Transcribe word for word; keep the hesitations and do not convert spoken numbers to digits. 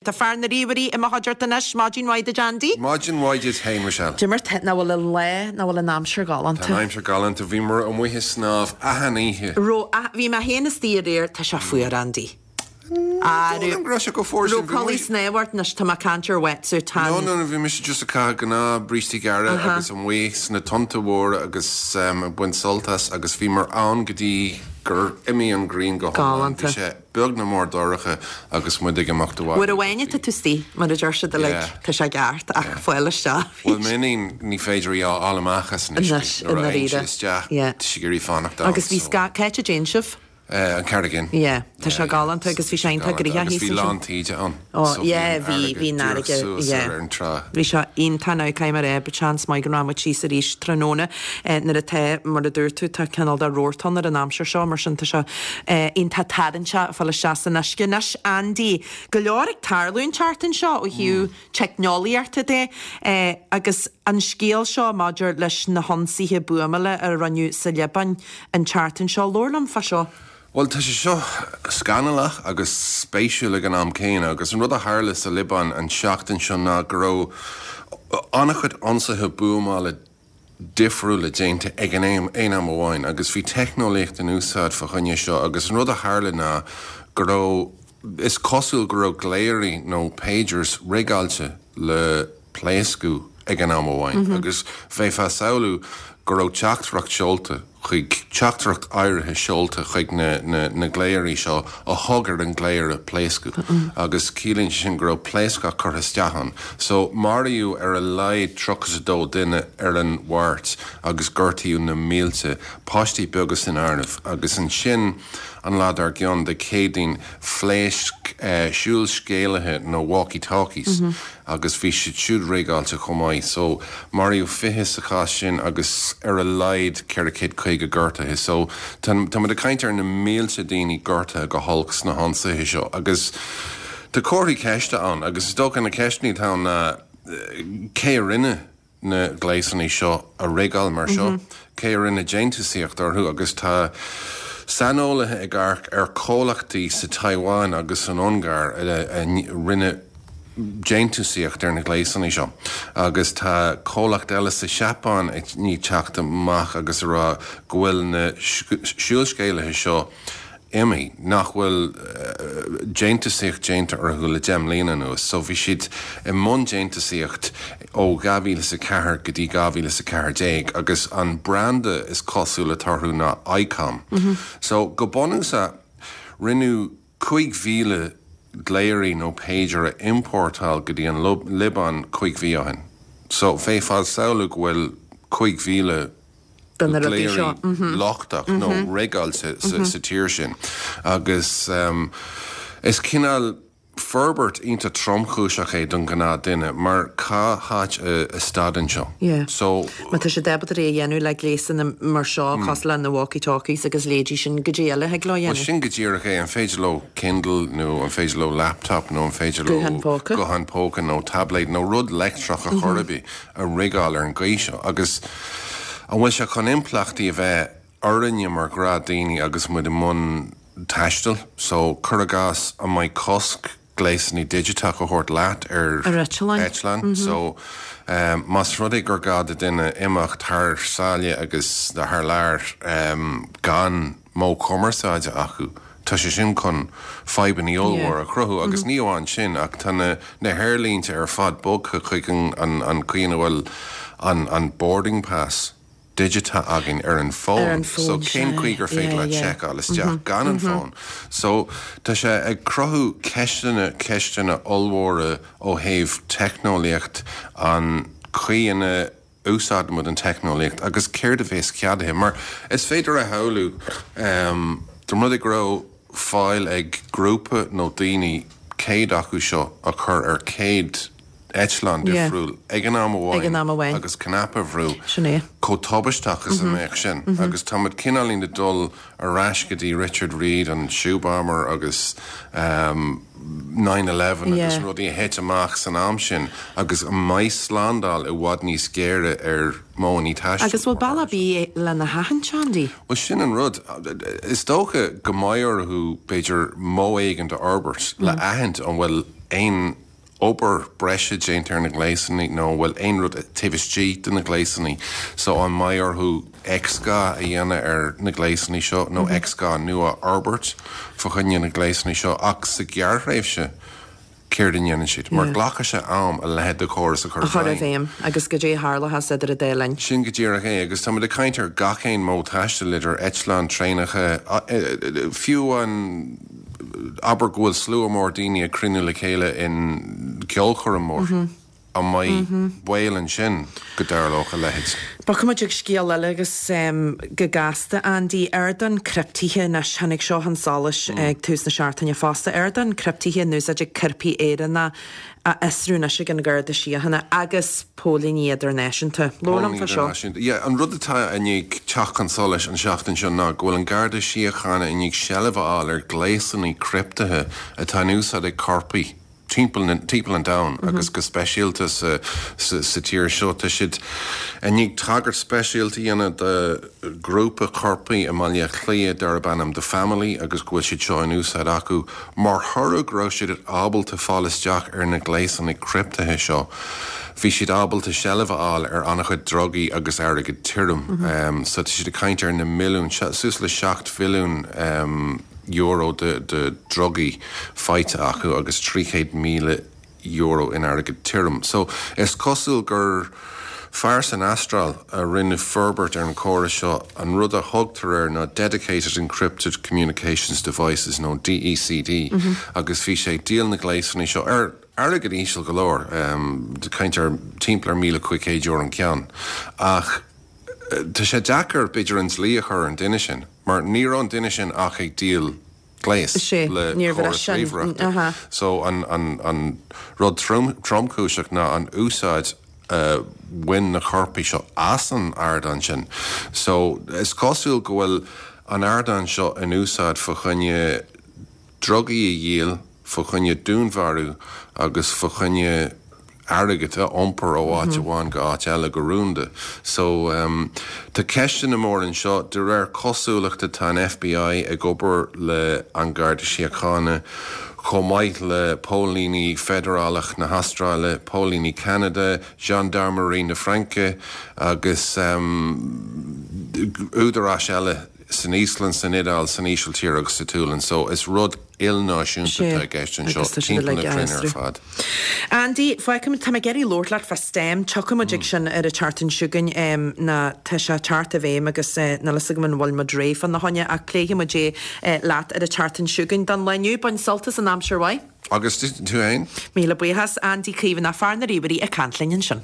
Tá fear na ríomhairí i mo chuideachta anois, maidin mhaith duit, Andy. Maidin mhaith duit féin, Michelle. Cad é mar tá, nach bhfuil an lá, nach bhfuil an aimsir galánta. Tá an aimsir galánta, bhíomar amuigh ag snámh achan oíche. Raibh, bhí mé féin istigh aréir, tá sé fuar, Andy. Dóigh go raibh sé chomh fuar sin. Raibh culaith snámha ort anois, tá mé ag caint ar wetsuit, tá No, no, no, bhí mise just ag caitheamh gnáth brístí gearra agus amuigh sna tonnta mhóra agus ag baint sult as agus bhíomar ann go dtí gur imigh an ghrian go hiomlán. Bhí sé beag nach mór dorcha agus muid ag imeacht abhaile. Uair amháin atá tú istigh, mar a deir siad uilig, tá sé ceart ach fáil isteach. Bhuel, m'iníon, ní féidir í a fháil amach as an uisce. Anois, i ndáiríre. Nuair a théann sí isteach, tá sí ag iarraidh fanacht ann. Agus bhí cá háit a dtéann sibh? An Carraig Fhinn. Yeah, tá sé galánta agus bhí sé iontach gnoitheach Agus bhí lán taoide ann. Ó, yeah, bhí, bhí an fharraige, yeah. Ar an trá. Bhí sé iontach now, caithfidh mé a rá, but seans maith go raibh muid síos arís tráthnóna nuair atá, mar a dúirt tú, tá cineál de rabharta ann ar an aimsir seo, mar sin tá sé iontach tarraingteach fáil isteach san uisce. Anois, Andy, go leor ag tarlú an tseachtain seo ó thaobh teicneolaíochta de agus an scéal seo maidir leis na hionsaithe buamála a rinneadh sa Liobáin an tseachtain seo. Labhair liom fá seo. Bhuel, tá sé seo scannalach agus spéisiúil ag an am céanna, agus an rud a tharla sa Liobáin an tseachtain seo ná go raibh an-chuid ionsaithe buamála difriúla déanta ag an aon am amháin, agus bhí teicneolaíocht in úsáid fá choinne seo, agus an rud a tharla ná go raibh, is cosúil go raibh glaoirí nó pagers rigeáilte le pléascadh ag an am amháin, agus bheifeá ag samhlú go raibh teachtaireacht seolta chuig, teachtaireacht áirithe seolta chuig na, na, na glaoirí seo a thug ar an nglaoire pléascadh agus ciallaíonn sé sin go raibh pléascach curtha isteach ann. So maraíodh ar a laghad tríocha is a dó duine ar an Mháirt agus gortaíodh na mílte, páistí beaga san áireamh, agus ansin an lá dár gcionn, Dé Céadaoin, phléasc siúlscéalaithe nó walkie-talkies agus bhí siad siúd rigeáilte chomh maith. So maraíodh fiche sa chás sin agus ar a laghad ceithre chéad caoga gortaithe. So tá muid ag caint ar na mílte daoine gortaithe go holc sna hionsaithe seo agus tá comharthaí ceiste ann agus is dócha na ceisteanna atá ann ná cé a rinne na gléasanna seo a rigeáil mar seo, cé a rinne déantúsaíocht orthu agus tá saineolaithe ag amharc ar chomhlachtaí sa Taiwan agus san Ungáir a rinne déantúsaíocht ar na gléasanna seo agus tá comhlacht eile sa Seapáin ag teacht amach agus a rá go bhfuil na siúlscéalaithe seo imithe, nach bhfuil déantúsaíocht déanta orthu le deich mbliana anuas. So bhí siad i mbun déantúsaíocht ó dhá mhíle is a ceathair go dtí dhá mhíle is a ceathair déag agus an branda is cosúil atá orthu ná Icom. So go bunúsach rinneadh cúig mhíle glaoirí nó pager a iompórtáil go dtí an Liobáin cúig mhí ó shin. So bheifeá ag samhlú go bhfuil cúig mhíle de na rudaí seo glaoirí lochtach nó rigeáilte sa tír sin. Agus is cineál forbairt iontach tromchúiseach é don ghnáth duine mar cá háit a stadann seo. Yeah. So Má tá siad ábalta é a dhéanamh le gléasanna mar seo cosúil le na walkie-talkies agus leithéidí sin cad é eile a thig leo a Well dhéanamh. sin go díreach é, an féidir leo Kindle nó an féidir leo laptop nó an féidir leo Guthán póca. guthán póca nó tablet nó rud leictreach a chor ar bith a rigeáil ar an gcaoi seo agus an bhfuil sé chun impleachtaí a bheith orainne mar ghnáthdhaoine agus muid i mbun taistil, so cuir i gcás an mbeidh cosc gléasanna digiteach a thabhairt leat ar Ar eitleáin. eitleán. So um, más rud é gur gá do duine imeacht thar sáile agus thar lear um, gan modh cumarsáide acu. Tá sé sin chun fadhbanna ollmhór a chruthú agus ní amháin sin ach tá na, na haerlínte ar fad bogtha chuig an, an, an chaoi ina bhfuil an, an boarding pass digiteach againn ar an bhfón. Ar an bhfón, So cén chaoi gur féidir yeah, le yeah. seiceáil isteach gan an fón. So tá sé ag cruthú ceisteanna ceisteanna ollmhóra ó thaobh teicneolaíocht an chaoi ina úsáidimid an teicneolaíocht agus céard a bheas ceadaithe mar is féidir a shamhlú um, dá mba rud é go raibh fáil ag grúpa nó daoine céad acu seo a chur ar céad eitleán Yeah. difriúil ag an am Ag an am amháin. agus cnaipe a bhrú Sin é. chomh tubaisteach is a mbeadh sin agus táimid cineáilín ag dul ar ais go dtí Richard Reid an shoe bomber agus um, nine eleven agus Yeah. rudaí a thit amach san am sin agus an mbeidh slándáil i bhfad níos géire ar mhodhanna taistil. Agus bhfuil bealach ar bith lena haithint, Andy? Well sin an rud is dócha go mbeidh orthu b'fhéidir modh éigin a fhorbairt le aithint an bhfuil aon obair breise déanta ar na gléasanna nó bhfuil aon rud taobh istigh de na gléasanna so an mbeidh orthu X-gha a dhéanamh ar na gléasanna seo nó X-gha nua a fhorbairt fá choinne na gléasanna seo ach sa ghearrthréimhse céard a dhéanann siad mar glacfaidh sé am a leithéid de chóras a chur a chur i bhfeidhm agus go dté tharlathas idir an dá linn. Sin go díreach é agus táimid ag caint ar gach aon modh taistil idir eitleáin, traenacha, fiú an abair go bhfuil slua mór daoine ag cruinniú le chéile in ceolchoirm mór. An mbeidh baol ansin go dtarlódh a leithéid? Bogfaidh muid ag scéal eile agus go gasta, Andy. Ardán criptithe anois, tháinig seo chun solais ag tús na seachtaine fosta. Ardán criptithe in úsáid ag coirpigh Éireannacha á fhiosrú anois ag an Gharda Síochána agus póilíní idirnáisiúnta. Labhair liom fá seo. Yeah, an rud atá i ndiaidh teacht chun solais an seachtain seo ná go bhfuil an Garda Síochána i ndiaidh seilbh a fháil ar ghléasanna criptithe atá in úsáid ag coirpigh timpeall timpeall an domhain agus go speisialta sa sa tír seo. Tá siad i ndiaidh tagairt speisialta a dhéanamh do ghrúpa coirpigh i mBaile Átha Cliath darb ainm The Family agus go bhfuil siad seo in úsáid acu mar thoradh go raibh siad ábalta fáil isteach ar na gléasanna criptithe seo. Bhí siad ábalta seilbh a fháil ar an-chuid drugaí agus airgead tirim. Um, so tá siad ag caint ar na milliúin, suas le seacht mhilliún um, euro de, de drugaí faighte acu agus trí chéad míle euro in airgead tirim. So is cosúil gur fear san Astráil a rinne forbairt ar an chóras seo an rud a thugtar air ná Dedicated Encrypted Communications Devices nó DECD mm -hmm. agus bhí sé ag díol na gléasanna seo ar airgead íseal go leor um, caint ar timpeall ar míle cúig chéad euro an ceann. Ach tá sé deacair b'fhéidir an dlí a chur ar an duine sin, mar ní raibh an duine sin ach ag díol gléas le córas ríomhaireachta. So an, an, an rud trom, tromchúiseach ná an úsáid uh, bhain na coirpigh seo as an ardán sin. So is cosúil go bhfuil an ardán seo in úsáid fá choinne drugaí a dhíol, fá choinne dúnmharú agus fá choinne airgead a iompar ó áit amháin go áit eile go rúnda. So um, tá ceisteanna mór anseo de réir cosúlachta tá an FBI ag obair le an Garda Síochána chomh maith le póilíní feidearálach na hAstráile, póilíní Canada, Gendarmerie na Fraince agus um, údaráis eile san Íoslainn, san Iodáil, san Ísiltír agus sa tSualainn, so is rud ilnáisiúnta atá i gceist anseo timpeall na cruinne ar fad. Andy, fágfaidh tá mé ag iarraidh labhairt leat fá STEM, tiocfaidh muid ag sin ar an tseachtain seo chugainn ná tá sé ag teacht i bhfeidhm agus níl a fhios agam an bhfuil muid réidh fána choinne ach pléifidh muid é leat ar an tseachtain seo chugainn. Don lá inniu, bain sult as an aimsir mhaith. Agus tú féin? Míle buíochas, Andy Caomhánach, fear na ríomhairí ag caint linn ansin.